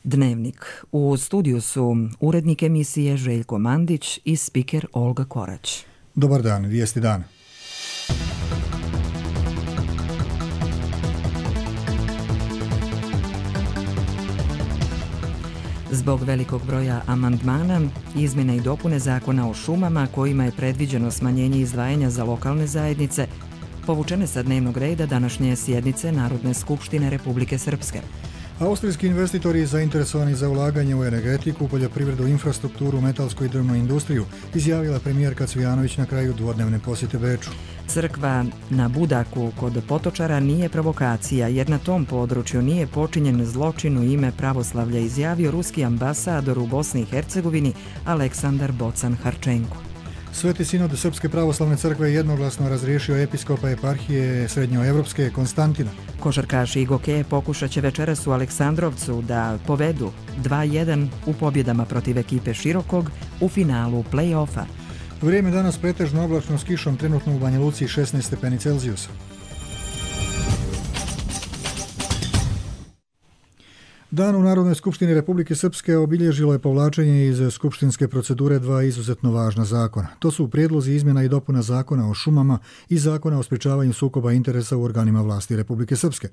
Dnevnik. U studiju su urednik emisije Željko Mandić i spiker Olga Korać. Dobar dan, vijesti dana. Zbog velikog broja amandmana, izmjene i dopune Zakona o šumama kojima je predviđeno smanjenje izdvajanja za lokalne zajednice, povučene sa dnevnog reda današnje sjednice Narodne skupštine Republike Srpske. Austrijski investitori zainteresovani za ulaganje u energetiku, poljoprivredu, infrastrukturu, metalsku i drvnu industriju, izjavila premijerka Cvijanović na kraju dvodnevne posjete Beču. Crkva na Budaku kod Potočara nije provokacija, jer na tom području nije počinjen zločin u ime pravoslavlja, izjavio ruski ambasador u Bosni i Hercegovini Aleksandar Bocan-Harčenko. Sveti sinod Srpske pravoslavne crkve jednoglasno razriješio episkopa eparhije srednjoevropske Konstantina. Košarkaši i gokeje pokušat će večeras u Aleksandrovcu da povedu 2-1 u pobjedama protiv ekipe Širokog u finalu play-offa. Vrijeme danas pretežno oblačno s kišom, trenutno u Banja Luci 16 stepeni Celzijusa. Dan u Narodnoj skupštini Republike Srpske obilježilo je povlačenje iz skupštinske procedure dva izuzetno važna zakona. To su prijedlozi izmjena i dopuna Zakona o šumama i Zakona o sprečavanju sukoba interesa u organima vlasti Republike Srpske.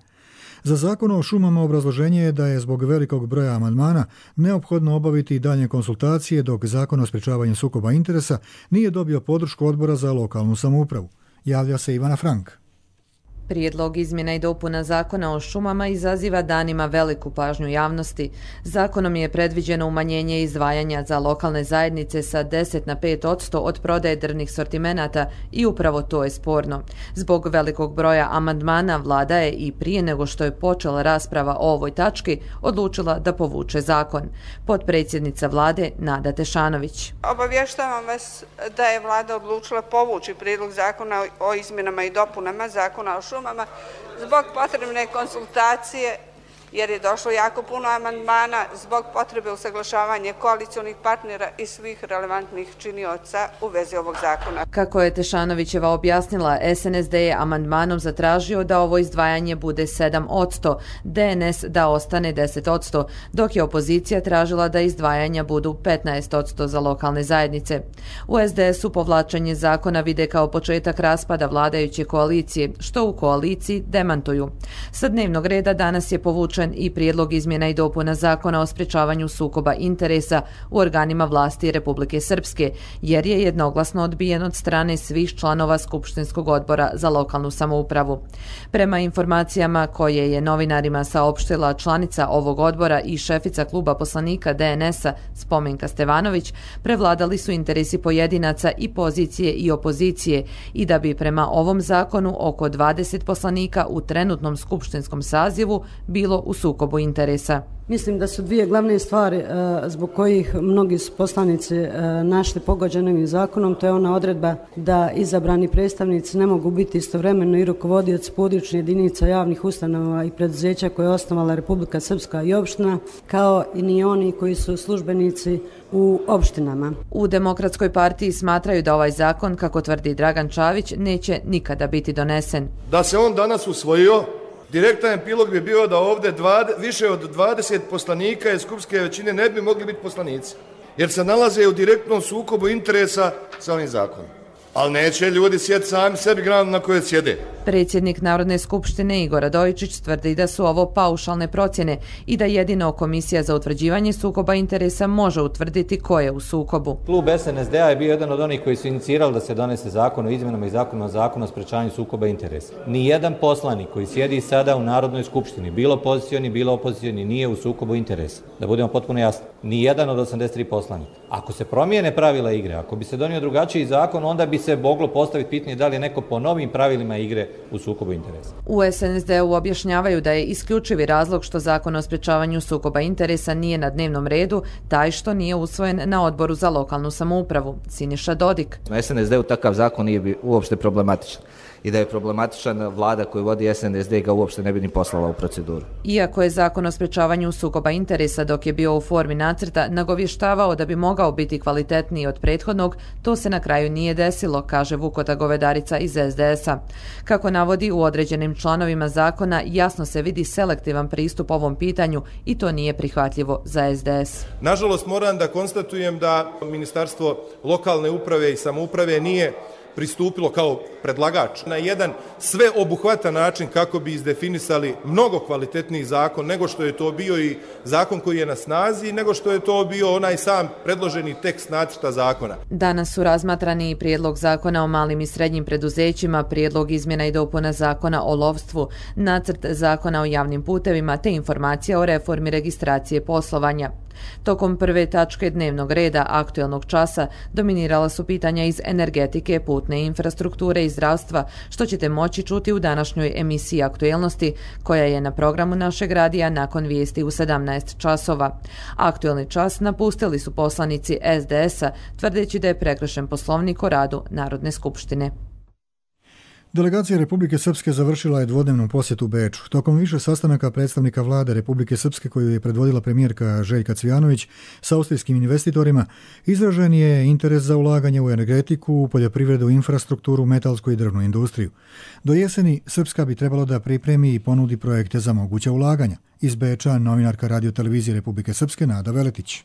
Za Zakon o šumama obrazloženje je da je zbog velikog broja amandmana neophodno obaviti dalje konsultacije, dok Zakon o sprečavanju sukoba interesa nije dobio podršku Odbora za lokalnu samoupravu. Javlja se Ivana Frank. Prijedlog izmjena i dopuna Zakona o šumama izaziva danima veliku pažnju javnosti. Zakonom je predviđeno umanjenje izdvajanja za lokalne zajednice sa 10 na 5% od prodaje drvnih sortimenata i upravo to je sporno. Zbog velikog broja amandmana vlada je i prije nego što je počela rasprava o ovoj tački odlučila da povuče zakon. Potpredsjednica vlade Nada Tešanović. Obavještavam vas da je vlada odlučila povući prijedlog zakona o izmjenama i dopunama Zakona o šumama zbog potrebne konsultacije, jer je došlo jako puno amandmana, zbog potrebe usaglašavanja koalicionih partnera i svih relevantnih činioca u vezi ovog zakona. Kako je Tešanovićeva objasnila, SNSD je amandmanom zatražio da ovo izdvajanje bude 7%, DNS da ostane 10%, dok je opozicija tražila da izdvajanja budu 15% za lokalne zajednice. U SDS-u povlačenje zakona vide kao početak raspada vladajuće koalicije, što u koaliciji demantuju. Sa dnevnog reda danas je povučen i prijedlog izmjena i dopuna Zakona o sprečavanju sukoba interesa u organima vlasti Republike Srpske, jer je jednoglasno odbijen od strane svih članova Skupštinskog odbora za lokalnu samoupravu. Prema informacijama koje je novinarima saopštila članica ovog odbora i šefica kluba poslanika DNS-a Spomenka Stevanović, prevladali su interesi pojedinaca i pozicije i opozicije i da bi prema ovom zakonu oko 20 poslanika u trenutnom skupštinskom sazivu bilo u sukobu interesa. Mislim da su dvije glavne stvari zbog kojih mnogi su poslanici našli pogođeni ovim zakonom. To je ona odredba da izabrani predstavnici ne mogu biti istovremeno i rukovodioci područnih jedinica javnih ustanova i preduzeća koje je osnovala Republika Srpska i opština, kao i ni oni koji su službenici u opštinama. U Demokratskoj partiji smatraju da ovaj zakon, kako tvrdi Dragan Čavić, neće nikada biti donesen. Da se on danas usvojio, direktan epilog bi bio da ovdje više od 20 poslanika iz skupštinske većine ne bi mogli biti poslanici, jer se nalaze u direktnom sukobu interesa sa ovim zakonom. Ali neće ljudi sjeti sami sebi granu na kojoj sjede. Predsjednik Narodne skupštine Igor Radojičić tvrdi da su ovo paušalne procjene i da jedino Komisija za utvrđivanje sukoba interesa može utvrditi ko je u sukobu. Klub SNSD-a je bio jedan od onih koji su inicirali da se donese zakon o izmjenama i zakon o sprečavanju sukoba interesa. Nijedan poslanik koji sjedi sada u Narodnoj skupštini, bilo pozicioni, bilo opozicioni, nije u sukobu interesa. Da budemo potpuno jasni. Nijedan od 83 poslanika. Ako se promijene pravila igre, ako bi se donio drugačiji zakon, onda bi se moglo postaviti pitanje da li je neko po novim pravilima igre u sukobu interesa. U SNSD-u objašnjavaju da je isključivi razlog što zakon o sprečavanju sukoba interesa nije na dnevnom redu taj što nije usvojen na Odboru za lokalnu samoupravu. Siniša Dodik. Na SNSD-u takav zakon nije uopšte problematičan. i da je problematična vlada koju vodi SNSD ga uopšte ne bi ni poslala u proceduru. Iako je zakon o sprečavanju sukoba interesa dok je bio u formi nacrta nagovještavao da bi mogao biti kvalitetniji od prethodnog, to se na kraju nije desilo, kaže Vukota Govedarica iz SDS-a. Kako navodi, u određenim članovima zakona jasno se vidi selektivan pristup ovom pitanju i to nije prihvatljivo za SDS. Nažalost, moram da konstatujem da Ministarstvo lokalne uprave i samouprave nije pristupilo kao predlagač na jedan sveobuhvatan način kako bi izdefinisali mnogo kvalitetniji zakon nego što je to bio i zakon koji je na snazi, nego što je to bio onaj sam predloženi tekst nacrta zakona. Danas su razmatrani i prijedlog zakona o malim i srednjim preduzećima, prijedlog izmjena i dopuna zakona o lovstvu, nacrt zakona o javnim putevima te informacija o reformi registracije poslovanja. Tokom prve tačke dnevnog reda aktuelnog časa dominirala su pitanja iz energetike, putne infrastrukture i zdravstva, što ćete moći čuti u današnjoj emisiji Aktuelnosti, koja je na programu našeg radija nakon vijesti u 17 časova. Aktuelni čas napustili su poslanici SDS-a, tvrdeći da je prekršen Poslovnik o radu Narodne skupštine. Delegacija Republike Srpske završila je dvodnevnu posjetu Beču. Tokom više sastanaka predstavnika vlade Republike Srpske koju je predvodila premijerka Željka Cvijanović sa austrijskim investitorima, izražen je interes za ulaganje u energetiku, poljoprivredu, infrastrukturu, metalsku i drvnu industriju. Do jeseni Srpska bi trebalo da pripremi i ponudi projekte za moguća ulaganja. Iz Beča novinarka Radio-televizije Republike Srpske Nada Veletić.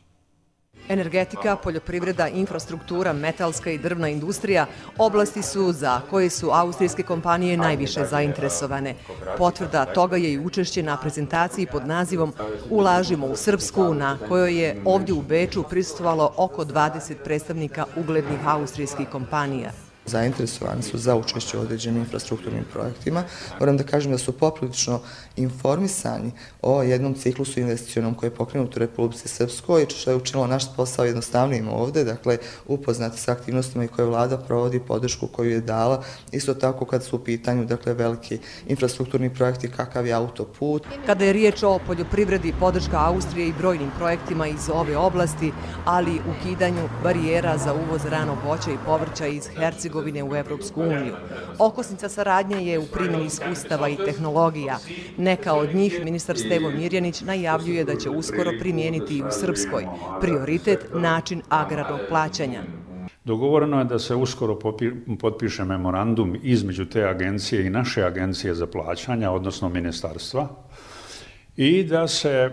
Energetika, poljoprivreda, infrastruktura, metalska i drvna industrija oblasti su za koje su austrijske kompanije najviše zainteresovane. Potvrda toga je i učešće na prezentaciji pod nazivom Ulažimo u Srpsku, na kojoj je ovdje u Beču prisustvovalo oko 20 predstavnika uglednih austrijskih kompanija. Zainteresovani su za učešće u određenim infrastrukturnim projektima. Moram da kažem da su poprilično informisani o jednom ciklusu investicionom koji je pokrenut u Republici Srpskoj, što je učinilo naš posao jednostavnijim ovde, dakle upoznati sa aktivnostima i koje vlada provodi, podršku koju je dala. Isto tako kad su u pitanju dakle veliki infrastrukturni projekti kakav je autoput. Kada je riječ o poljoprivredi, podrška Austrije i brojnim projektima iz ove oblasti, ali ukidanju barijera za uvoz ranog voća i povrća iz Hercegovine u Evropsku uniju. Okosnica saradnje je u primjeni iskustava i tehnologija. Neka od njih ministar Stevo Mirjanić najavljuje da će uskoro primijeniti i u Srpskoj. Prioritet način agrarnog plaćanja. Dogovoreno je da se uskoro potpiše memorandum između te agencije i naše agencije za plaćanja, odnosno ministarstva, i da se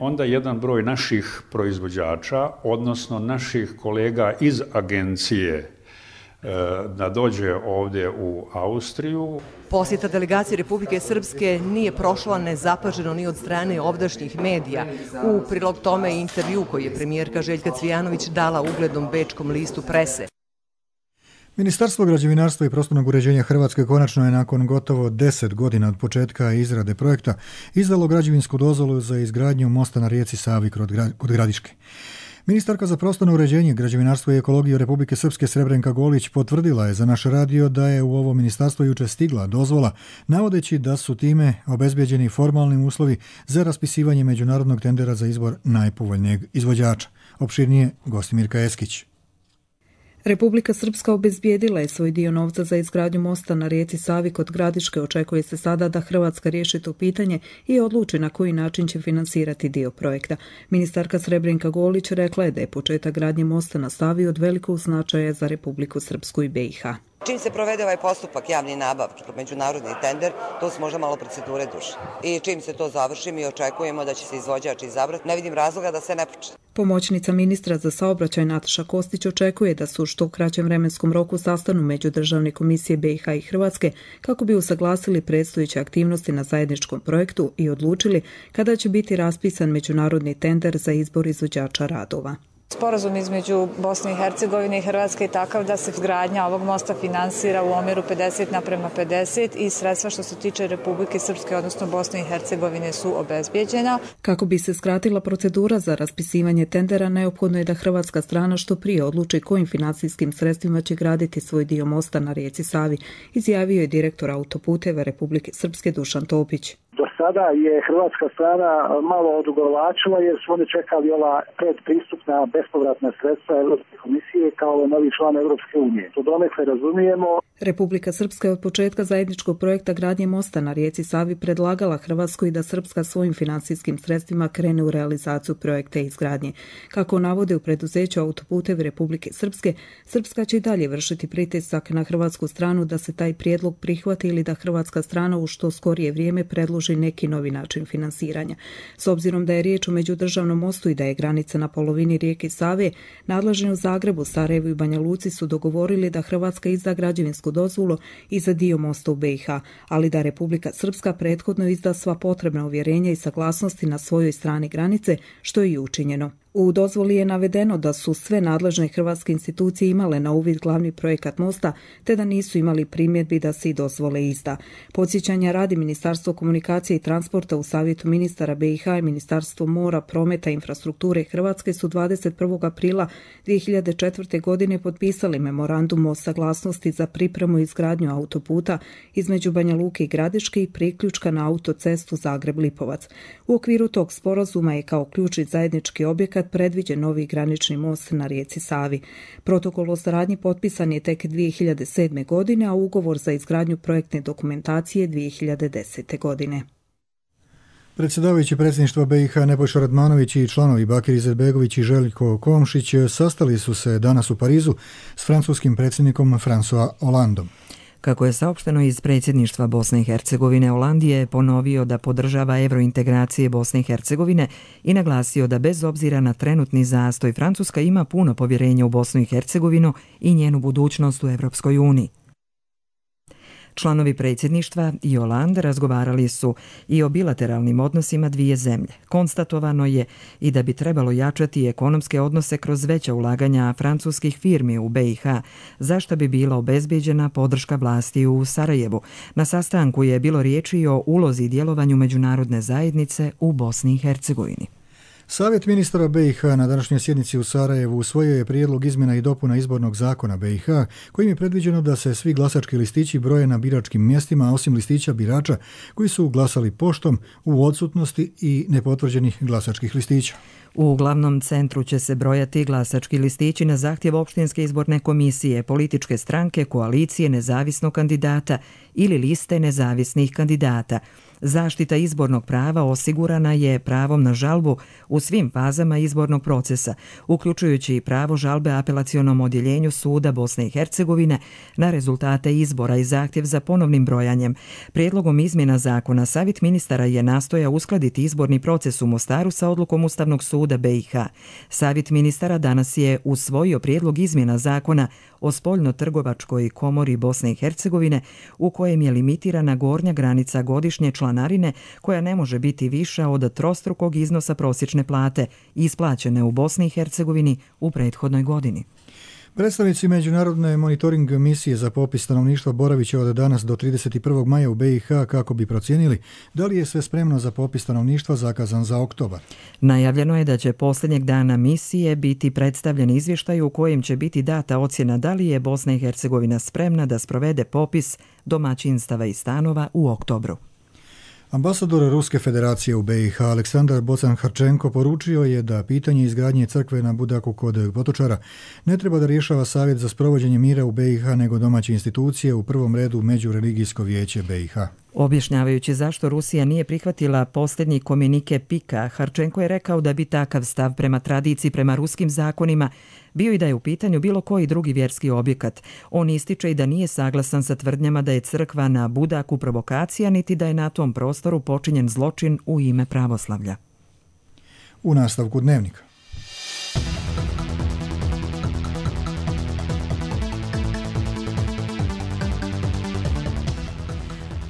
onda jedan broj naših proizvođača, odnosno naših kolega iz agencije, da dođe ovdje u Austriju. Posjeta delegacije Republike Srpske nije prošla nezapaženo ni od strane ovdašnjih medija. U prilog tome je intervju koji je premijerka Željka Cvijanović dala uglednom bečkom listu Prese. Ministarstvo građevinarstva i prostornog uređenja Hrvatske konačno je nakon gotovo 10 godina od početka izrade projekta izdalo građevinsku dozvolu za izgradnju mosta na rijeci Savi kod Gradiške. Ministarka za prostorno uređenje, građevinarstvo i ekologiju Republike Srpske Srebrenka Golić potvrdila je za naš radio da je u ovo ministarstvo juče stigla dozvola, navodeći da su time obezbeđeni formalni uslovi za raspisivanje međunarodnog tendera za izbor najpovoljnijeg izvođača. Opširnije Gostimirka Eskić. Republika Srpska obezbijedila je svoj dio novca za izgradnju mosta na rijeci Savi kod Gradiške. Očekuje se sada da Hrvatska riješi to pitanje i odluči na koji način će finansirati dio projekta. Ministarka Srebrenka Golić rekla je da je početak gradnje mosta na Savi od velikog značaja za Republiku Srpsku i BiH. Čim se provede ovaj postupak javni nabav, međunarodni tender, to su možda malo procedure duže. I čim se to završi, mi očekujemo da će se izvođač izabrati. Ne vidim razloga da se ne počne. Pomoćnica ministra za saobraćaj Nataša Kostić očekuje da su u što kraćem vremenskom roku sastanu međudržavne komisije BiH i Hrvatske kako bi usaglasili predstojeće aktivnosti na zajedničkom projektu i odlučili kada će biti raspisan međunarodni tender za izbor izvođača radova. Sporazum između Bosne i Hercegovine i Hrvatske je takav da se izgradnja ovog mosta finansira u omjeru 50:50 i sredstva što se tiče Republike Srpske, odnosno Bosne i Hercegovine, su obezbijeđena. Kako bi se skratila procedura za raspisivanje tendera, neophodno je da hrvatska strana što prije odluči kojim financijskim sredstvima će graditi svoj dio mosta na rijeci Savi, izjavio je direktor autoputeva Republike Srpske Dušan Topić. Do sada je hrvatska strana malo odugovlačila jer su oni čekali ova predpristupna bespovratna sredstva Europske komisije kao novi član Europske unije. To donekle razumijemo. Republika Srpska je od početka zajedničkog projekta gradnje mosta na rijeci Savi predlagala Hrvatskoj da Srpska svojim financijskim sredstvima krene u realizaciju projekta izgradnje. Kako navode u preduzeću Autoputevi Republike Srpske, Srpska će i dalje vršiti pritisak na hrvatsku stranu da se taj prijedlog prihvati ili da hrvatska strana u što skorije vrijeme predloži neki novi način finansiranja. S obzirom da je riječ o međudržavnom mostu i da je granica na polovini rijeke Save, nadležni u Zagrebu, Sarajevu i Banja Luci su dogovorili da Hrvatska izda građevinsku dozvolu i za dio mosta u BiH, ali da Republika Srpska prethodno izda sva potrebna uvjerenja i saglasnosti na svojoj strani granice, što je i učinjeno. U dozvoli je navedeno da su sve nadležne hrvatske institucije imale na uvid glavni projekat mosta, te da nisu imali primjedbi da se i dozvole izda. Podsjećanja radi Ministarstvo komunikacije i transporta u Savjetu ministara BiH i Ministarstvo mora, prometa i infrastrukture Hrvatske su 21. aprila 2004. godine potpisali memorandum o saglasnosti za pripremu i izgradnju autoputa između Banja Luke i Gradiške i priključka na autocestu Zagreb-Lipovac. U okviru tog sporazuma je kao ključni zajednički objekat predviđen novi granični most na rijeci Savi. Protokol o saradnji potpisan je tek 2007. godine, a ugovor za izgradnju projektne dokumentacije 2010. godine. Predsjedavajući predsjedništva BiH Nebojša Radmanović i članovi Bakir Izetbegović i Željko Komšić sastali su se danas u Parizu s francuskim predsjednikom François Hollandom. Kako je saopšteno iz predsjedništva Bosne i Hercegovine, Hollande je ponovio da podržava evrointegracije Bosne i Hercegovine i naglasio da bez obzira na trenutni zastoj Francuska ima puno povjerenja u Bosnu i Hercegovinu i njenu budućnost u Evropskoj uniji. Članovi predsjedništva i Hollande razgovarali su i o bilateralnim odnosima dvije zemlje. Konstatovano je i da bi trebalo jačati ekonomske odnose kroz veća ulaganja francuskih firmi u BiH, za što bi bila obezbijeđena podrška vlasti u Sarajevu. Na sastanku je bilo riječi o ulozi i djelovanju međunarodne zajednice u Bosni i Hercegovini. Savjet ministara BiH na današnjoj sjednici u Sarajevu usvojio je prijedlog izmjena i dopuna izbornog zakona BiH, kojim je predviđeno da se svi glasački listići broje na biračkim mjestima, osim listića birača koji su glasali poštom u odsutnosti i nepotvrđenih glasačkih listića. U glavnom centru će se brojati glasački listići na zahtjev opštinske izborne komisije, političke stranke, koalicije nezavisnog kandidata ili liste nezavisnih kandidata. Zaštita izbornog prava osigurana je pravom na žalbu u svim fazama izbornog procesa, uključujući i pravo žalbe apelacionom odjeljenju suda Bosne i Hercegovine na rezultate izbora i zahtjev za ponovnim brojanjem. Prijedlogom izmjena zakona Savjet ministara je nastojao uskladiti izborni proces u Mostaru sa odlukom Ustavnog suda BiH. Savjet ministara danas je usvojio prijedlog izmjena zakona o spoljno-trgovačkoj komori Bosne i Hercegovine, u kojem je limitirana gornja granica godišnje članarine koja ne može biti viša od trostrukog iznosa prosječne plate isplaćene u Bosni i Hercegovini u prethodnoj godini. Predstavnici Međunarodne monitoring misije za popis stanovništva boravit će od danas do 31. maja u BiH kako bi procijenili da li je sve spremno za popis stanovništva zakazan za oktobar. Najavljeno je da će posljednjeg dana misije biti predstavljen izvještaj u kojem će biti data ocjena da li je Bosna i Hercegovina spremna da sprovede popis domaćinstava i stanova u oktobru. Ambasador Ruske federacije u BiH Aleksandar Bocan-Harčenko poručio je da pitanje izgradnje crkve na Budaku kod Potočara ne treba da rješava Savjet za sprovođenje mira u BiH nego domaće institucije, u prvom redu Međureligijsko vijeće BiH. Objašnjavajući zašto Rusija nije prihvatila posljednji komunike Pika, Harčenko je rekao da bi takav stav prema tradiciji, prema ruskim zakonima, bio i da je u pitanju bilo koji drugi vjerski objekat. On ističe i da nije saglasan sa tvrdnjama da je crkva na Budaku provokacija, niti da je na tom prostoru počinjen zločin u ime pravoslavlja. U nastavku dnevnika.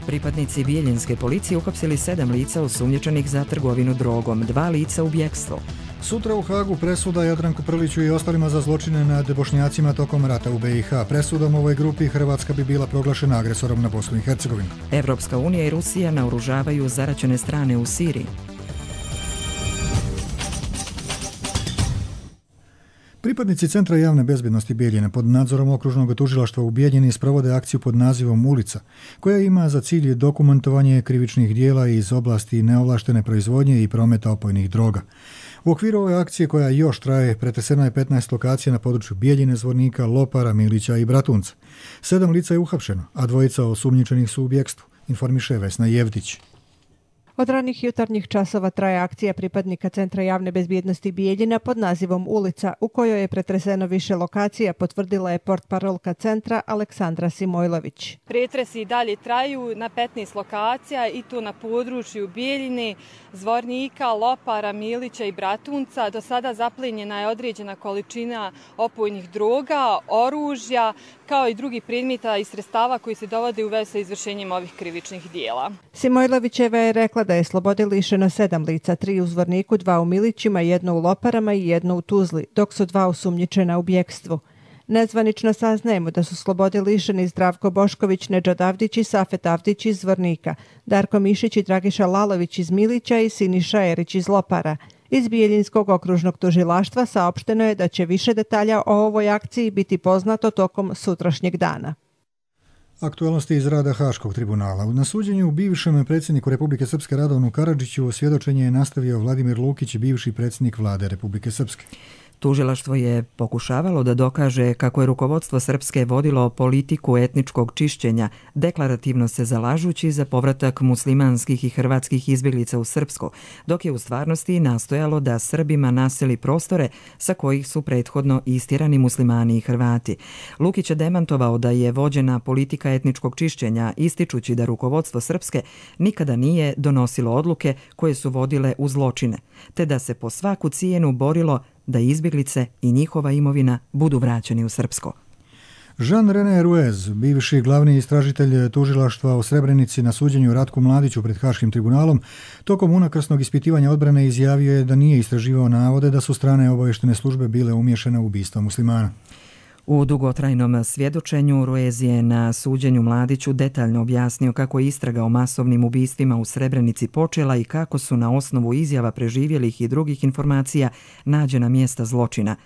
Pripadnici bijeljinske policije uhapsili 7 lica osumnjičenih za trgovinu drogom, 2 lica u bjekstvu. Sutra u Hagu presuda Jadranku Prliću i ostalima za zločine nad Bošnjacima tokom rata u BiH. Presudom ovoj grupi Hrvatska bi bila proglašena agresorom na Bosnu i Hercegovinu. Evropska unija i Rusija naoružavaju zaraćene strane u Siriji. Pripadnici Centra javne bezbjednosti Bijeljine pod nadzorom okružnog tužilaštva u Bijeljini sprovode akciju pod nazivom Ulica, koja ima za cilj dokumentovanje krivičnih dijela iz oblasti neovlaštene proizvodnje i prometa opojnih droga. U okviru ove akcije, koja još traje, pretreseno je 15 lokacija na području Bijeljine, Zvornika, Lopara, Milića i Bratunca. 7 lica je uhapšeno, a 2 osumnjičenih su u bjekstvu, informiše Vesna Jevdić. Od ranih jutarnjih časova traje akcija pripadnika Centra javne bezbjednosti Bijeljina pod nazivom Ulica, u kojoj je pretreseno više lokacija, potvrdila je portparolka centra Aleksandra Simojlović. Pretresi i dalje traju na 15 lokacija i to na području Bijeljine, Zvornika, Lopara, Milića i Bratunca. Do sada zaplenjena je određena količina opojnih droga, oružja, kao i drugih predmeta i sredstava koji se dovode u vezu sa izvršenjem ovih krivičnih dijela. Simojlovićeva je rekla da je slobode lišeno 7 lica, 3 u Zvorniku, 2 u Milićima, 1 u Loparama i 1 u Tuzli, dok su 2 osumnjičena u bjekstvu. Nezvanično saznajemo da su slobode lišeni Zdravko Bošković, Nedžad Avdić i Safet Avdić iz Zvornika, Darko Mišić i Dragiša Lalović iz Milića i Siniša Erić iz Lopara. Iz Bijeljinskog okružnog tužilaštva saopšteno je da će više detalja o ovoj akciji biti poznato tokom sutrašnjeg dana. Aktualnosti iz rada Haškog tribunala. Na suđenju bivšem predsjedniku Republike Srpske Radovanu Karadžiću svjedočenje je nastavio Vladimir Lukić, bivši predsjednik vlade Republike Srpske. Tužilaštvo je pokušavalo da dokaže kako je rukovodstvo Srpske vodilo politiku etničkog čišćenja, deklarativno se zalažući za povratak muslimanskih i hrvatskih izbjeglica u Srpsko, dok je u stvarnosti nastojalo da Srbima naseli prostore sa kojih su prethodno istjerani muslimani i Hrvati. Lukić je demantovao da je vođena politika etničkog čišćenja, ističući da rukovodstvo Srpske nikada nije donosilo odluke koje su vodile u zločine, te da se po svaku cijenu borilo da izbjeglice i njihova imovina budu vraćeni u Srpsko. Jean-René Ruez, bivši glavni istražitelj tužilaštva o Srebrenici na suđenju Ratku Mladiću pred Haškim tribunalom, tokom unakrsnog ispitivanja odbrane izjavio je da nije istraživao navode da su strane obaveštene službe bile umiješane u ubistvo muslimana. U dugotrajnom svjedočenju Ruez je na suđenju Mladiću detaljno objasnio kako je istraga o masovnim ubistvima u Srebrenici počela i kako su na osnovu izjava preživjelih i drugih informacija nađena mjesta zločina.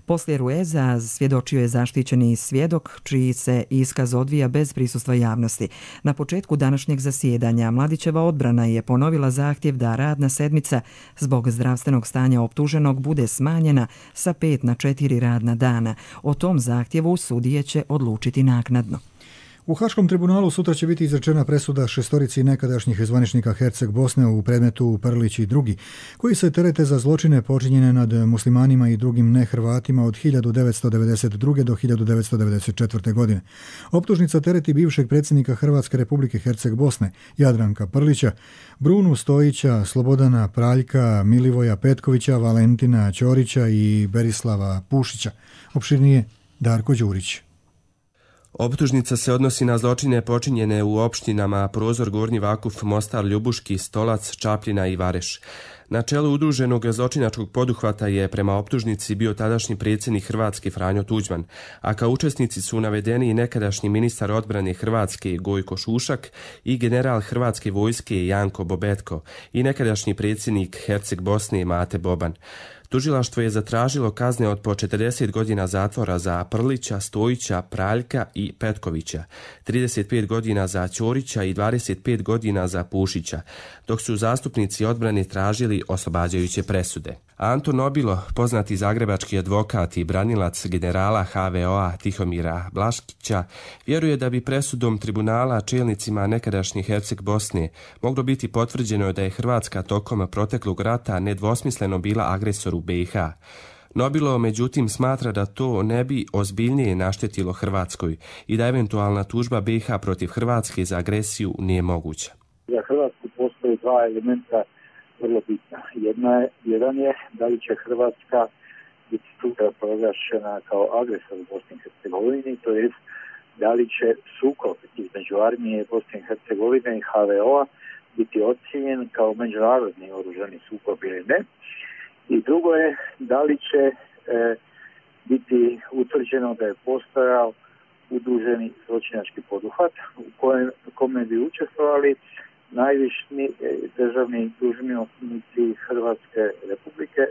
Poslije Rueza svjedočio je zaštićeni svjedok, čiji se iskaz odvija bez prisustva javnosti. Na početku današnjeg zasjedanja Mladićeva odbrana je ponovila zahtjev da radna sedmica zbog zdravstvenog stanja optuženog bude smanjena sa 5 na 4 radna dana. O tom zahtjevu sudije će odlučiti naknadno. U Haškom tribunalu sutra će biti izrečena presuda 6 nekadašnjih zvaničnika Herceg Bosne u predmetu Prlić i drugi, koji se terete za zločine počinjene nad muslimanima i drugim nehrvatima od 1992. do 1994. godine. Optužnica tereti bivšeg predsjednika Hrvatske Republike Herceg Bosne, Jadranka Prlića, Brunu Stojića, Slobodana Praljka, Milivoja Petkovića, Valentina Ćorića i Berislava Pušića. Opširnije Darko Đurić. Optužnica se odnosi na zločine počinjene u opštinama Prozor, Gornji Vakuf, Mostar, Ljubuški, Stolac, Čapljina i Vareš. Na čelu udruženog zločinačkog poduhvata je prema optužnici bio tadašnji predsjednik Hrvatske Franjo Tuđman, a kao učesnici su navedeni i nekadašnji ministar odbrane Hrvatske Gojko Šušak i general Hrvatske vojske Janko Bobetko i nekadašnji predsjednik Herceg Bosne Mate Boban. Tužilaštvo je zatražilo kazne od po 40 godina zatvora za Prlića, Stojića, Praljka i Petkovića, 35 godina za Ćorića i 25 godina za Pušića, dok su zastupnici odbrane tražili oslobađajuće presude. Anton Nobilo, poznati zagrebački advokat i branilac generala HVO-a Tihomira Blaškića, vjeruje da bi presudom tribunala čelnicima nekadašnje Herceg Bosne moglo biti potvrđeno da je Hrvatska tokom proteklog rata nedvosmisleno bila agresor u BiH. Nobilo, međutim, smatra da to ne bi ozbiljnije naštetilo Hrvatskoj i da eventualna tužba BiH protiv Hrvatske za agresiju nije moguća. Za Hrvatsku postoje 2 elementa vrlo bitna. Jedan je da li će Hrvatska biti sutra proglašena kao agresor u Bosni i Hercegovini, to jest da li će sukob između armije Bosne i Hercegovine i HVO-a biti ocijenjen kao međunarodni oružani sukob ili ne. I drugo je da li će biti utvrđeno da je postojao udruženi zločinački poduhvat u kome bi učestvovali najviši državni dužnosnici Hrvatske Republike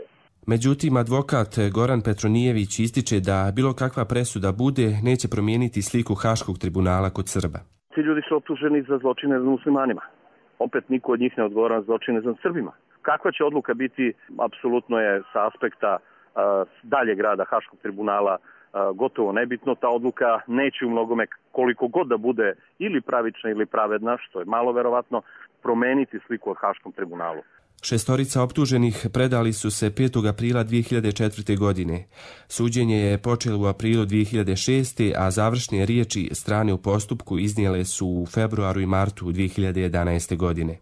Međutim, advokat Goran Petronijević ističe da bilo kakva presuda bude neće promijeniti sliku Haškog tribunala kod Srba. Ti ljudi su optuženi za zločine nad muslimanima. Opet niko od njih ne odgovara za zločine nad Srbima. Kakva će odluka biti, apsolutno je sa aspekta daljeg rada Haškog tribunala gotovo nebitno. Ta odluka neće u mnogome, koliko god da bude ili pravična ili pravedna, što je malo verovatno, promeniti sliku o Haškom tribunalu. 6 optuženih predali su se 5. aprila 2004. godine. Suđenje je počelo u aprilu 2006. a završne riječi strane u postupku iznijele su u februaru i martu 2011. godine.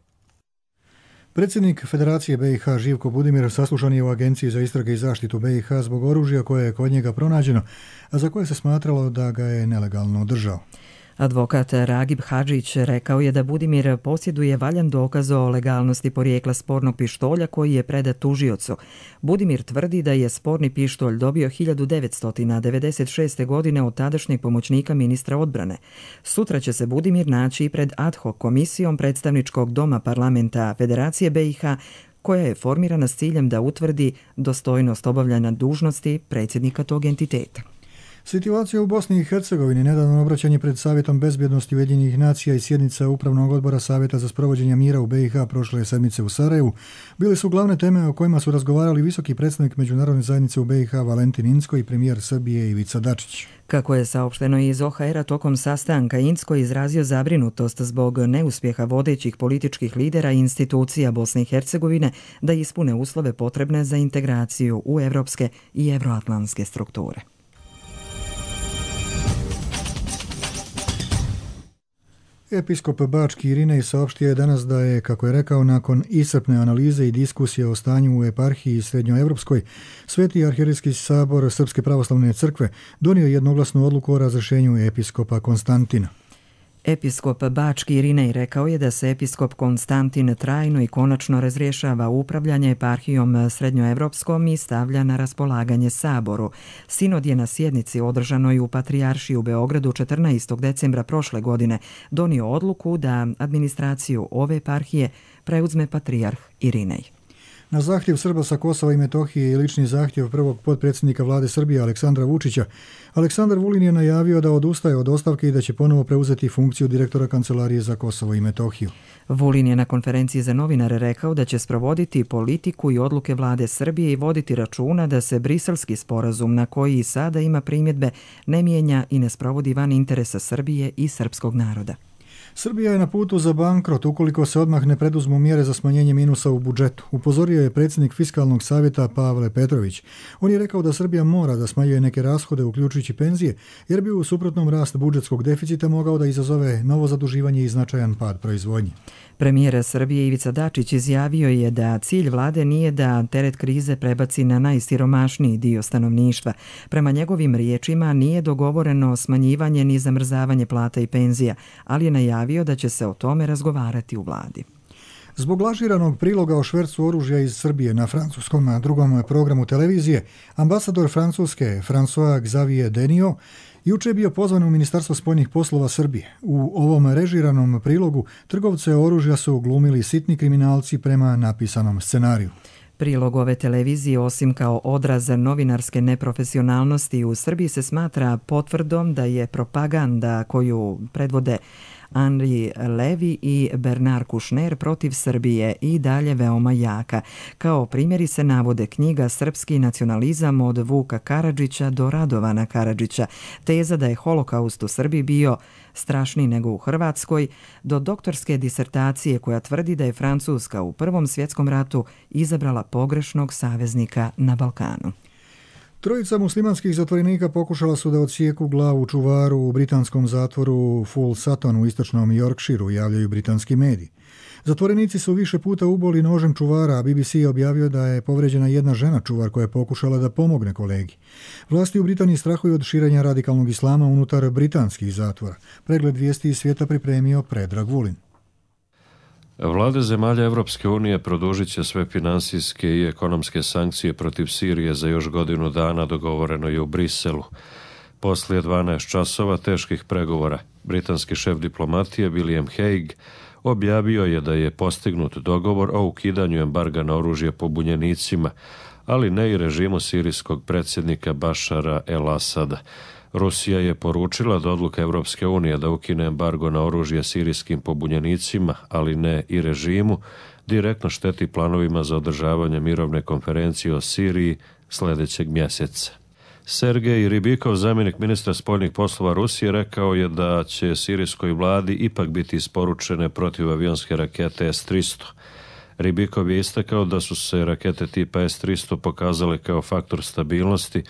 Predsjednik Federacije BiH Živko Budimir saslušan je u Agenciji za istrage i zaštitu BiH zbog oružja koje je kod njega pronađeno, a za koje se smatralo da ga je nelegalno držao. Advokat Ragib Hadžić rekao je da Budimir posjeduje valjan dokaz o legalnosti porijekla spornog pištolja koji je predat tužiocu. Budimir tvrdi da je sporni pištolj dobio 1996. godine od tadašnjeg pomoćnika ministra odbrane. Sutra će se Budimir naći pred ad hoc komisijom predstavničkog doma parlamenta Federacije BiH, koja je formirana s ciljem da utvrdi dostojnost obavljanja dužnosti predsjednika tog entiteta. Situacija u Bosni i Hercegovini, nedavno obraćanje pred Savjetom bezbjednosti Ujedinjenih nacija i sjednica Upravnog odbora Savjeta za sprovođenje mira u BiH prošle sedmice u Sarajevu, bile su glavne teme o kojima su razgovarali visoki predstavnik međunarodne zajednice u BiH Valentin Incko i premijer Srbije Ivica Dačić. Kako je saopšteno iz OHR-a tokom sastanka, Incko izrazio zabrinutost zbog neuspjeha vodećih političkih lidera i institucija Bosne i Hercegovine da ispune uslove potrebne za integraciju u evropske i evroatlantske strukture. Episkop Bački Irinej saopštio je danas da je, kako je rekao, nakon iscrpne analize i diskusije o stanju u eparhiji srednjoevropskoj, Sveti arhijerejski sabor Srpske pravoslavne crkve donio jednoglasnu odluku o razrješenju episkopa Konstantina. Episkop Bački Irinej rekao je da se episkop Konstantin trajno i konačno razrješava upravljanje eparhijom srednjoevropskom i stavlja na raspolaganje saboru. Sinod je na sjednici održanoj u Patrijaršiji u Beogradu 14. decembra prošle godine donio odluku da administraciju ove eparhije preuzme patrijarh Irinej. Na zahtjev Srba sa Kosova i Metohije i lični zahtjev prvog potpredsjednika vlade Srbije Aleksandra Vučića, Aleksandar Vulin je najavio da odustaje od ostavke i da će ponovo preuzeti funkciju direktora Kancelarije za Kosovo i Metohiju. Vulin je na konferenciji za novinare rekao da će sprovoditi politiku i odluke vlade Srbije i voditi računa da se briselski sporazum, na koji i sada ima primjedbe, ne mijenja i ne sprovodi van interesa Srbije i srpskog naroda. Srbija je na putu za bankrot ukoliko se odmah ne preduzmu mjere za smanjenje minusa u budžetu, upozorio je predsjednik Fiskalnog savjeta Pavle Petrović. On je rekao da Srbija mora da smanjuje neke rashode, uključujući penzije, jer bi u suprotnom rast budžetskog deficita mogao da izazove novo zaduživanje i značajan pad proizvodnje. Premijer Srbije Ivica Dačić izjavio je da cilj vlade nije da teret krize prebaci na najsiromašniji dio stanovništva. Prema njegovim riječima nije dogovoreno smanjivanje ni zamrzavanje plata i penzija, ali je najavio da će se o tome razgovarati u vladi. Zbog lažiranog priloga o švercu oružja iz Srbije na francuskom drugom programu televizije, ambasador Francuske François Xavier Denio juče je bio pozvan u Ministarstvo spoljnih poslova Srbije. U ovom režiranom prilogu trgovce oružja su glumili sitni kriminalci prema napisanom scenariju. Prilog ove televizije, osim kao odraz novinarske neprofesionalnosti u Srbiji, se smatra potvrdom da je propaganda koju predvode Henri Levi i Bernard Kouchner protiv Srbije i dalje veoma jaka. Kao primjeri se navode knjiga Srpski nacionalizam od Vuka Karadžića do Radovana Karadžića, teza da je holokaust u Srbiji bio strašniji nego u Hrvatskoj, do doktorske disertacije koja tvrdi da je Francuska u Prvom svjetskom ratu izabrala pogrešnog saveznika na Balkanu. Trojica muslimanskih zatvorenika pokušala su da odsjeku glavu čuvaru u britanskom zatvoru Full Sutton u istočnom Yorkshireu, javljaju britanski mediji. Zatvorenici su više puta uboli nožem čuvara, a BBC je objavio da je povređena jedna žena čuvar koja je pokušala da pomogne kolegi. Vlasti u Britaniji strahuju od širenja radikalnog islama unutar britanskih zatvora. Pregled vijesti iz svijeta pripremio Predrag Vulin. Vlade zemalja Evropske unije produžit će sve finansijske i ekonomske sankcije protiv Sirije za još godinu dana, dogovoreno je u Briselu. Poslije 12 časova teških pregovora, britanski šef diplomatije William Hague objavio je da je postignut dogovor o ukidanju embarga na oružje pobunjenicima, ali ne i režimu sirijskog predsjednika Bašara el-Asada. Rusija je poručila da odluka Europske unije da ukine embargo na oružje sirijskim pobunjenicima, ali ne i režimu, direktno šteti planovima za održavanje mirovne konferencije o Siriji sljedećeg mjeseca. Sergej Ribikov, zamjenik ministra spoljnih poslova Rusije, rekao je da će sirijskoj vladi ipak biti isporučene protivavionske rakete S-300. Ribikov je istakao da su se rakete tipa S-300 pokazale kao faktor stabilnosti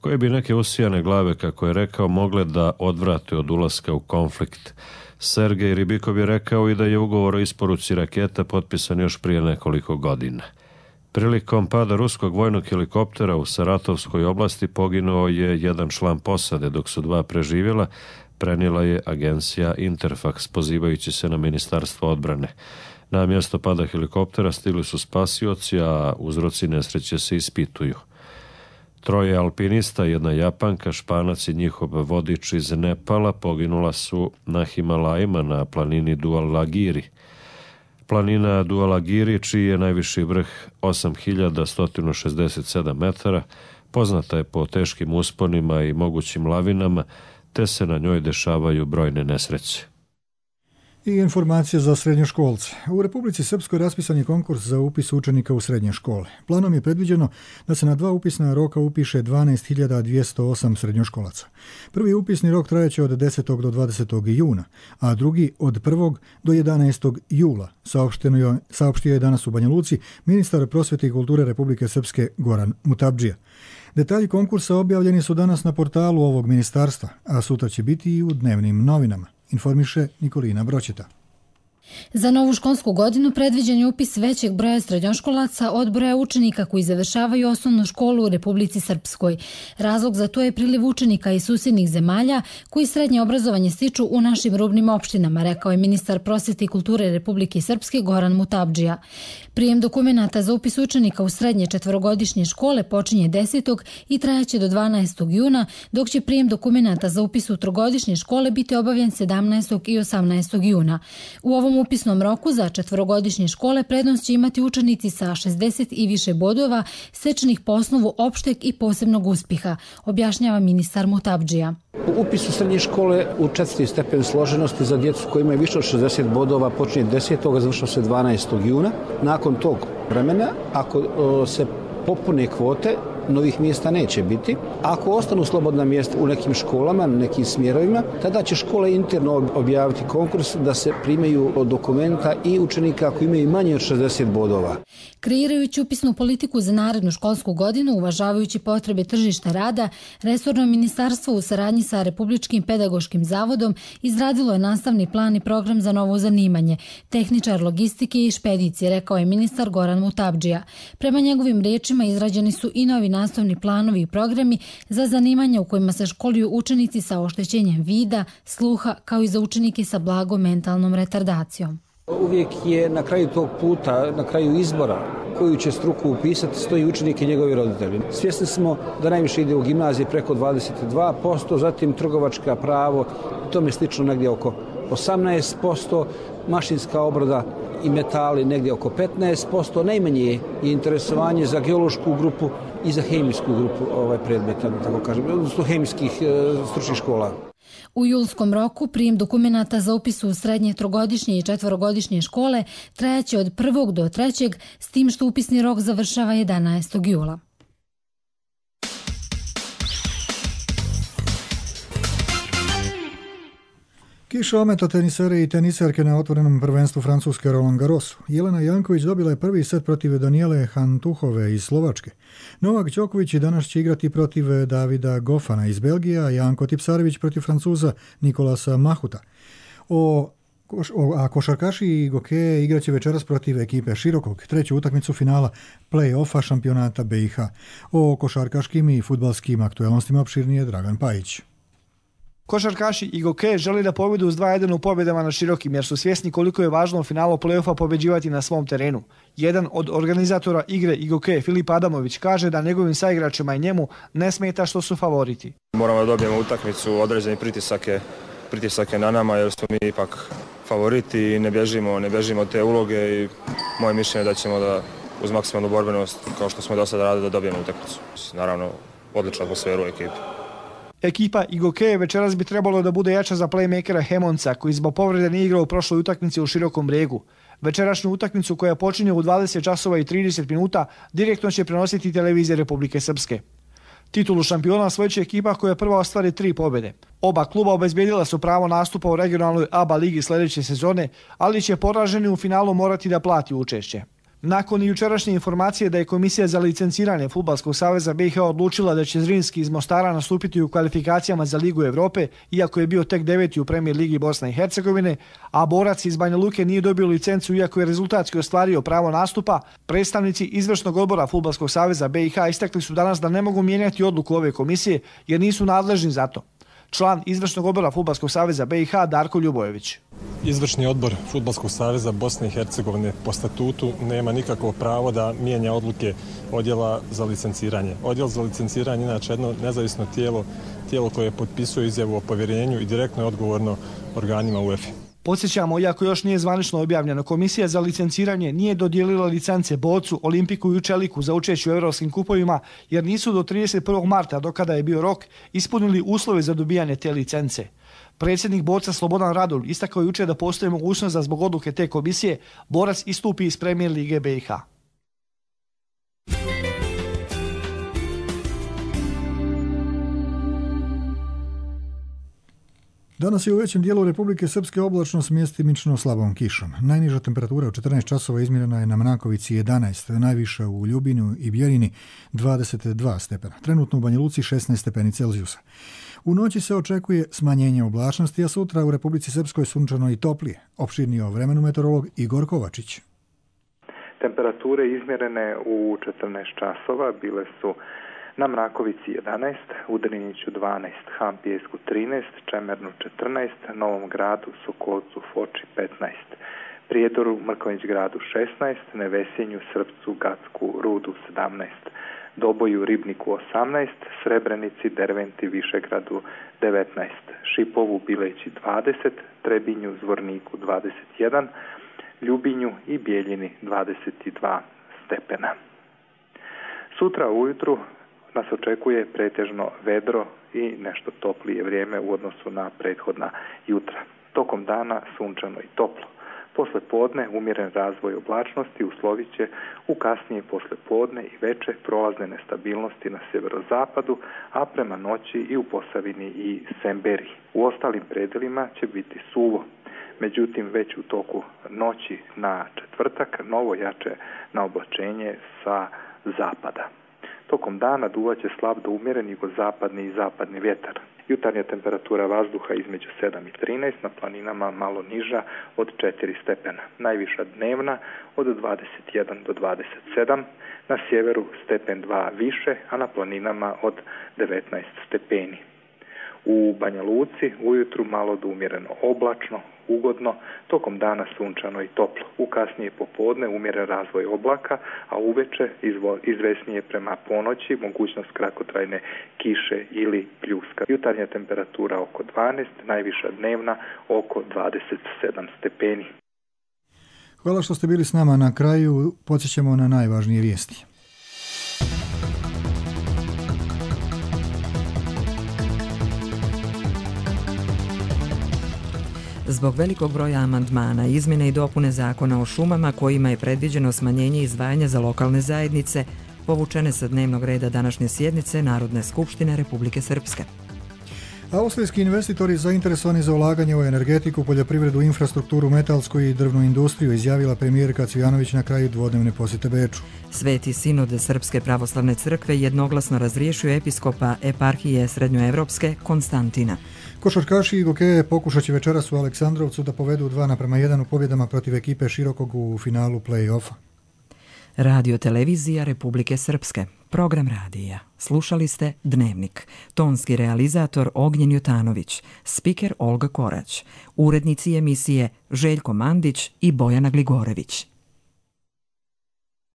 koje bi neke usijane glave, kako je rekao, mogle da odvrate od ulaska u konflikt. Sergej Ribikov je rekao i da je ugovor o isporuci raketa potpisan još prije nekoliko godina. Prilikom pada ruskog vojnog helikoptera u Saratovskoj oblasti poginuo je jedan član posade, dok su dva preživjela, prenijela je agencija Interfax, pozivajući se na Ministarstvo odbrane. Na mjesto pada helikoptera stigli su spasioci, a uzroci nesreće se ispituju. 3 alpinista, 1 Japanka, Španac i njihov vodič iz Nepala poginula su na Himalajima na planini Dhaulagiri. Planina Dhaulagiri, čiji je najviši vrh 8167 metara, poznata je po teškim usponima i mogućim lavinama, te se na njoj dešavaju brojne nesreće. I informacije za srednjoškolce. U Republici Srpskoj raspisan je konkurs za upis učenika u srednje škole. Planom je predviđeno da se na 2 upisna roka upiše 12.208 srednjoškolaca. Prvi upisni rok trajeće od 10. do 20. juna, a drugi od 1. do 11. jula, saopštio je danas u Banja Luci ministar prosvete i kulture Republike Srpske Goran Mutabdžija. Detalji konkursa objavljeni su danas na portalu ovog ministarstva, a sutra će biti i u dnevnim novinama, informiše Nikolina Broćeta. Za novu školsku godinu predviđen je upis većeg broja srednjoškolaca od broja učenika koji završavaju osnovnu školu u Republici Srpskoj. Razlog za to je priliv učenika iz susjednih zemalja koji srednje obrazovanje stiču u našim rubnim opštinama, rekao je ministar prosvete i kulture Republike Srpske Goran Mutabdžija. Prijem dokumenata za upis učenika u srednje 4-godišnje škole počinje 10. i trajaće do 12. juna, dok će prijem dokumenata za upis u 3-godišnje škole biti obavljen 17. i 18. juna. U ovom upisnom roku za 4-godišnje škole prednost će imati učenici sa 60 i više bodova stečenih po osnovu opšteg i posebnog uspjeha, objašnjava ministar Mutabdžija. Upis u srednje škole u 4. stepen složenosti za djecu koji imaju više od 60 bodova počinje 10. a završava se 12. juna. Nakon tog vremena, ako se popune kvote, novih mjesta neće biti. Ako ostanu slobodna mjesta u nekim školama, nekim smjerovima, tada će škole interno objaviti konkurs da se primaju dokumenta i učenika koji imaju manje od 60 bodova. Kreirajući upisnu politiku za narednu školsku godinu, uvažavajući potrebe tržišta rada, resorno ministarstvo u saradnji sa Republičkim pedagoškim zavodom izradilo je nastavni plan i program za novo zanimanje, tehničar logistike i špedicije, rekao je ministar Goran Mutabdžija. Prema njegovim riječima izrađeni su i novi nastavni planovi i programi za zanimanja u kojima se školuju učenici sa oštećenjem vida, sluha, kao i za učenike sa blagom mentalnom retardacijom. Uvijek je na kraju tog puta, na kraju izbora koju će struku upisati, stoji učenik i njegovi roditelji. Svjesni smo da najviše ide u gimnaziji preko 22%, zatim trgovačka pravo, tome slično negdje oko 18%, mašinska obrada i metali negdje oko 15%, najmanje je interesovanje za geološku grupu i za hemijsku grupu predmeta, da tako kažem, odnosno hemijskih stručnih škola. U julskom roku prijem dokumenata za upis u srednje 3-godišnje i 4-godišnje škole trajaće od 1. do 3. s tim što upisni rok završava 11. jula. Kiša ometa tenisere i teniserke na otvorenom prvenstvu Francuske Roland Garrosu. Jelena Janković dobila je prvi set protiv Danijele Hantuhove iz Slovačke. Novak Đoković i danas će igrati protiv Davida Goffana iz Belgije, a Janko Tipsarević protiv Francuza Nikolasa Mahuta. A košarkaši i gokeje igraće večeras protiv ekipe Širokog, treću utakmicu finala play-offa šampionata BiH. O košarkaškim i fudbalskim aktualnostima opširnije Dragan Pajić. Košarkaši i gokeje žele da pobjedu s 2-1 u pobjedama na Širokim, jer su svjesni koliko je važno u finalu play-offa pobeđivati na svom terenu. Jedan od organizatora igre i gokeje, Filip Adamović, kaže da njegovim saigračima i njemu ne smeta što su favoriti. Moramo da dobijemo utakmicu, određeni pritisak je na nama jer smo mi ipak favoriti i ne bježimo od te uloge i moje mišljenje je da ćemo uz maksimalnu borbenost kao što smo do sada radili da dobijemo utakmicu. Naravno, odlična atmosfera u ekipi. Ekipa Igoke večeras bi trebalo da bude jača za playmakera Hemonca, koji zbog povrede nije igrao u prošloj utakmici u Širokom Brijegu. Večerašnju utakmicu koja počinje u 20 časova i 30 minuta direktno će prenositi televizija Republike Srpske. Titulu šampiona osvojit će ekipa koja prva ostvari 3 pobjede. Oba kluba obezbijedila su pravo nastupa u regionalnoj ABA ligi sljedeće sezone, ali će poraženi u finalu morati da plati učešće. Nakon jučerašnje informacije da je Komisija za licenciranje Fudbalskog saveza BiH odlučila da će Zrinski iz Mostara nastupiti u kvalifikacijama za Ligu Evrope, iako je bio tek 9. u Premier ligi Bosne i Hercegovine, a borac iz Banja Luke nije dobio licencu iako je rezultatski ostvario pravo nastupa, predstavnici izvršnog odbora Fudbalskog saveza BiH istakli su danas da ne mogu mijenjati odluku ove komisije jer nisu nadležni za to. Član izvršnog odbora Fudbalskog saveza BiH Darko Ljubojević. Izvršni odbor Fudbalskog saveza Bosne i Hercegovine po statutu nema nikakvo pravo da mijenja odluke odjela za licenciranje. Odjel za licenciranje je inače jedno nezavisno tijelo koje potpisuje izjavu o povjerenju i direktno je odgovorno organima UEFA. Podsjećamo, iako još nije zvanično objavljeno, Komisija za licenciranje nije dodijelila licence Bocu, Olimpiku i Čeliku za učešće u evropskim kupovima jer nisu do 31. marta, do kada je bio rok, ispunili uslove za dobijanje te licence. Predsjednik Boca Slobodan Radul istakao jučer da postoji mogućnost da zbog odluke te komisije borac istupi iz Premier lige BiH. Danas je u većem dijelu Republike Srpske oblačno s mjestimično slabom kišom. Najniža temperatura u 14 časova izmjerena je na Mnakovici 11, najviša u Ljubinu i Bjeljini 22 stepena. Trenutno u Banja Luci 16 stepeni Celzijusa. U noći se očekuje smanjenje oblačnosti, a sutra u Republici Srpskoj sunčano i toplije. Opširniji o vremenu meteorolog Igor Kovačić. Temperature izmjerene u 14 časova bile su na Mrakovici 11, u Driniću 12, Hampijesku 13, Čemernu 14, Novom Gradu, Sokolcu, Foči 15, Prijedoru, Mrkonjić gradu 16, Nevesinju, Srpcu, Gacku, Rudu 17, Doboju, Ribniku 18, Srebrenici, Derventi, Višegradu 19, Šipovu, Bileći 20, Trebinju, Zvorniku 21, Ljubinju i Bijeljini 22 stepena. Sutra ujutru nas očekuje pretežno vedro i nešto toplije vrijeme u odnosu na prethodna jutra. Tokom dana sunčano i toplo. Posle podne umjeren razvoj oblačnosti uslovit će u kasnije posle podne i veče prolazne nestabilnosti na sjeverozapadu, a prema noći i u Posavini i Semberiji. U ostalim predelima će biti suvo. Međutim, već u toku noći na četvrtak novo jače na oblačenje sa zapada. Tokom dana duvaće slab do umjeren jugozapadni i zapadni vjetar. Jutarnja temperatura vazduha između 7 i 13, na planinama malo niža od 4 stepena. Najviša dnevna od 21 do 27, na sjeveru stepen 2 više, a na planinama od 19 stepeni. U Banja Luci ujutru malo do umjereno oblačno, ugodno, tokom dana sunčano i toplo. U kasnije popodne umjeren razvoj oblaka, a uveče izvesnije prema ponoći mogućnost kratkotrajne kiše ili pljuska. Jutarnja temperatura oko 12, najviša dnevna oko 27 stepeni. Hvala što ste bili s nama. Na kraju podsjećamo na najvažnije vijesti. Zbog velikog broja amandmana, izmjene i dopune zakona o šumama kojima je predviđeno smanjenje izdvajanja za lokalne zajednice, povučene sa dnevnog reda današnje sjednice Narodne skupštine Republike Srpske. Austrijski investitori zainteresovani za ulaganje u energetiku, poljoprivredu, infrastrukturu, metalsku i drvnu industriju, izjavila premijerka Cvijanović na kraju dvodnevne posjete Beču. Sveti sinod Srpske pravoslavne crkve jednoglasno razriješio episkopa eparhije Srednjoevropske Konstantina. Košarkaši Igoke pokušat će večeras u Aleksandrovcu da povedu 2:1 u pobjedama protiv ekipe Širokog u finalu play-offa. Radio televizija Republike Srpske. Program radija. Slušali ste Dnevnik. Tonski realizator Ognjen Jutanović. Spiker Olga Korać. Urednici emisije Željko Mandić i Bojana Gligorević.